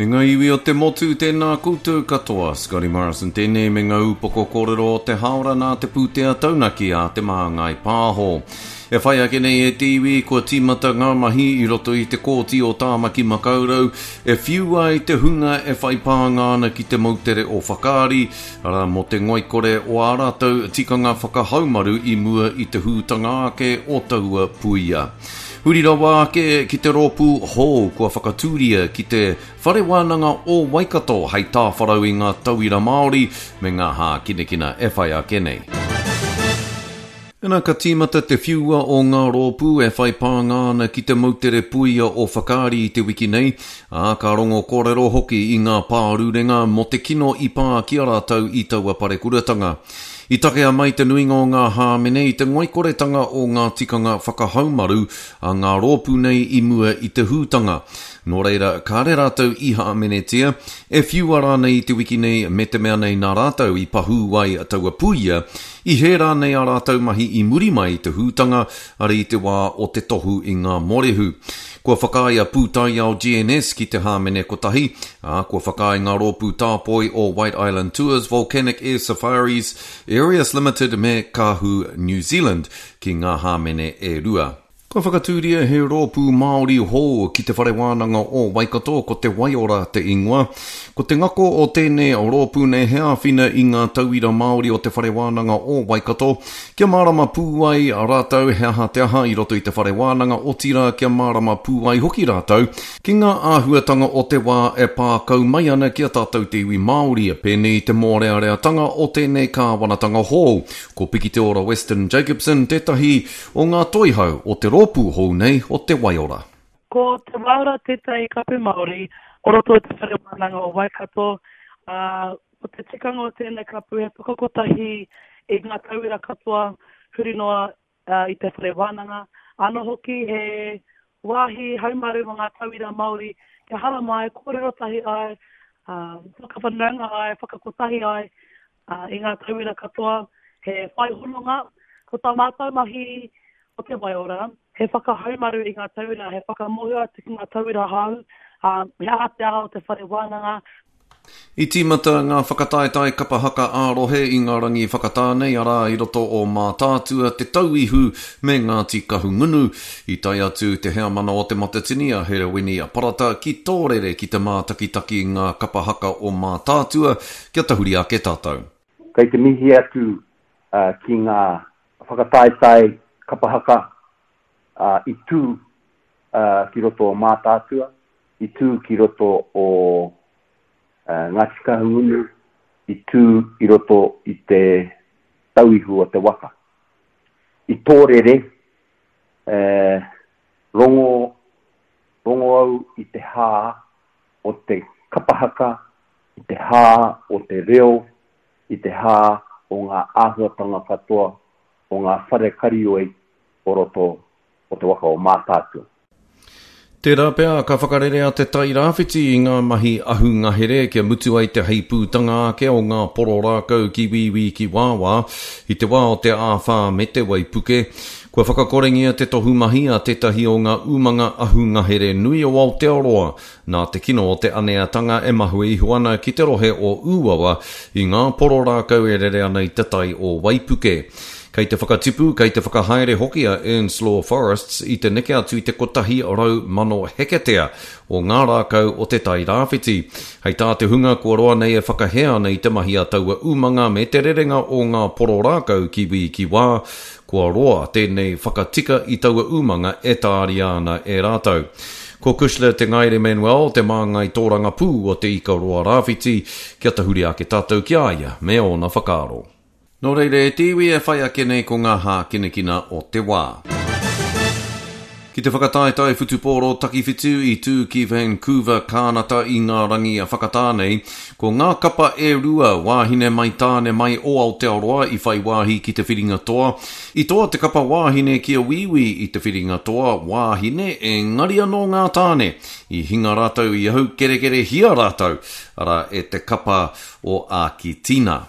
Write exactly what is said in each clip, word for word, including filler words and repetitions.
E ngā iwi o te motu, tēnā koutou katoa. Scotty Morrison tēnei me ngā upoko kōrero o te haora nā te pūtea taunaki a Te Māngai Pāho. E whai ake nei e te iwi, kua tīmata ngā mahi i roto i te kōti o Tāmaki Makaurau e whiu ai te hunga e whai pānga ana ki te moutere o Whakaari, arā mō te ngoikore o ā rātou tikanga whakahaumaru i mua i te hūtanga ake o taua puia. Huri rawa ake ki te rōpū hou kua whakatūria ki te Whare Wānanga o Waikato hei tāwharau i ngā tauira Māori me ngā hākinakina e whai ake nei. Ena ka tīmata te whiua o ngā rōpū e whai pānga ana ki te moutere puia o Whakaari i te wiki nei, ā, ka rongo kōrero hoki i ngā pārurenga mō te kino i pā ki a rātou i taua parekuratanga. I takea mai te nuinga o ngā hāmene i te ngoikoretanga o ngā tikanga whakahaumaru a ngā rōpū nei i mua i te hūtanga. Nō reira, kāre rātou i hāmenetia, e whiua rānei i te wiki nei me te mea nei nā rātou i pahū ai taua puia, i hē rānei a rātou mahi i muri mai i te hūtanga, ara i te wā o te tohu i ngā mōrehu. Kua whakaae a Pūtaiao G N S ki te hāmene kotahi, ā, kua whakaae ngā rōpū tāpoi o White Island Tours, Volcanic Air Safaris, Areas Limited me Kahu New Zealand ki ngā hāmene e rua. Kua whakatūria he rōpū Māori hou ki te Whare Wānanga o Waikato, ko te Waiora te ingoa. Ko te ngako o tēnei rōpū nei he āwhina i ngā tauira Māori o te Whare Wānanga o Waikato, kia mārama pū ai rātou he aha te aha i roto i te Whare Wānanga, otirā kia mārama pū ai hoki rātou ki ngā āhuatanga o te wā e pākau mai ana ki a tātou te iwi Māori, pēnei te mōreareatanga o tēnei kāwanatanga hou. Ko Pikiteora Weston Jacobson tētahi o ngā toihau o te rōpū hou nei o te Waiora. Ko te Waiora tētahi kapu Māori o roto i te Whare Wānanga o Waikato. Uh, ko te tikanga o tēnei kapu he whakakotahi i ngā tauira katoa huri noa uh, i te Whare Wānanga. Anō hoki he wāhi haumaru mō ngā tauira Māori kia haramai, kōrero tahi ai, uh, whakawhanaunga ai, whakakotahi ai uh, i ngā tauira katoa, he whai hononga. Ko tā mātou mahi o te Waiora, he whakahaumaru i ngā tauira, he whakamōhio atu ki ngā tauira hou, uh, he aha te aha o te Whare Wānanga. I tīmata ngā whakataetae kapa haka ā-rohe i ngā rangi whakatā nei, arā i roto o Mātaatua, Te Tauihu me Ngāti Kahungunu. I tae atu te heamana o Te Matatini a Herewini Parata ki Tōrere ki te mātakitaki ngā kapa haka o Mātaatua, kia tahuri ake tātou. Kei te mihi atu uh, ki ngā whakataetae kapa haka uh, i tū uh, ki roto o Mātaatua, i tū ki roto o uh, Ngāti Kahungunu, i tū i roto i te Tauihu o te waka. I Tōrere, eh, rongo, rongo au i te hā o te kapa haka, i te hā o te reo, i te hā o ngā āhuatanga katoa o ngā whare karioi o roto o te waka o Mātaatua. Tērā pea ka whakarerea te Tairāwhiti i ngā mahi ahungahere kia mutu ai te heipūtanga ake o ngā poro rākau ki wīwī ki wāwā i te wā o te āwhā me te waipuke. Kua whakakorengia te tohu mahi a tētahi o ngā umanga ahungahere nui o Aotearoa nā te kino o te aneatanga e mahue iho ana ki te rohe o Ūawa i ngā poro rākau e rere ana i te tai o Waipuke. Kei te whakatipu, kei te whakahaere hoki a Ernslaw Forests i te neke atu i te kotahi rau mano heketea o ngā rākau o te Tairāwhiti. Hei tā te hunga kua roa nei e whakahē ana i te mahi a taua umanga me te rerenga o ngā poro rākau ki wī ki wā, kua roa tēnei whakatika i taua umanga e tāria ana e rātou. Ko Kushla Te Ngaere Manuel, te māngai tōrangapū o te Ikaroa Rāwhiti, kia tahuri ake tātou ki a ia me ōna whakaaro. Nō reira e te iwi e whai ake nei ko ngā hākinakina o te wā. Ki te whakataetae whutupōro takiwhitu i tū ki Vancouver, Kānata i ngā rangi a whakatā nei, ko ngā kapa e rua wāhine mai tāne mai o Aotearoa i whai wāhi ki te whiringa toa. I toa te kapa wāhine ki a Wīwī i te whiringa toa wāhine engari anō ngā tāne. I hinga rātou i au kerekere hia rātou, arā e te kapa o Ākitina.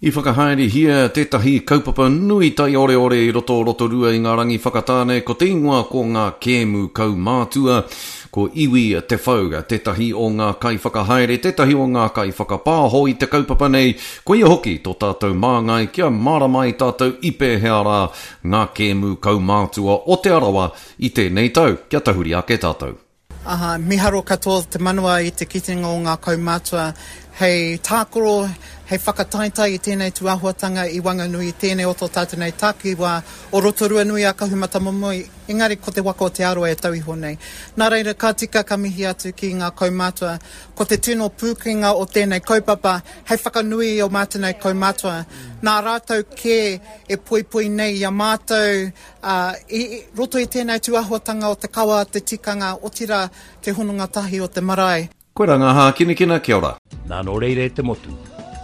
I whakahaerehia tētahi kaupapa nui taioreore i roto o Rotorua i ngā rangi whakatāne, ko te ingoa ko ngā kēmu kaumātua. Ko Iwi Te Whau tētahi o ngā kaiwhakahaere, tētahi o ngā kaiwhakapāho i te kaupapa nei, koia hoki tō tātou māngai kia mārama ai tātou i pēhea rā ngā kēmu kaumātua o Te Arawa i tēnei tau. Kia tahuri ake tātou. Aha, miharo katoa te manawa i te kitenga o ngā kaumātua hei tākaro, hei whakataetae i tēnei tūāhuatanga i Wanganui, i tēnei o tō tātou nei takiwā o Rotorua nui a Kahumatamomoe, engari ko te waka o Te Arawa e tau iho nei. Nā reira, ka tika ka mihi atu ki ngā kaumātua. Ko te tino pūkenga o tēnei kaupapa hei whakanui i ō mātou nei kaumātua. Nā rātou kē e poipoi nei i a mātou, ā, i roto i tēnei tūāhuatanga o te kawa, te tikanga, otirā te hononga tahi o te marae. Koirā ngā hākinakina, kia ora. Nā nō reira e te motu,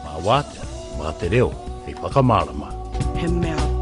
mā wātea, mā te reo hei whakamārama. He mea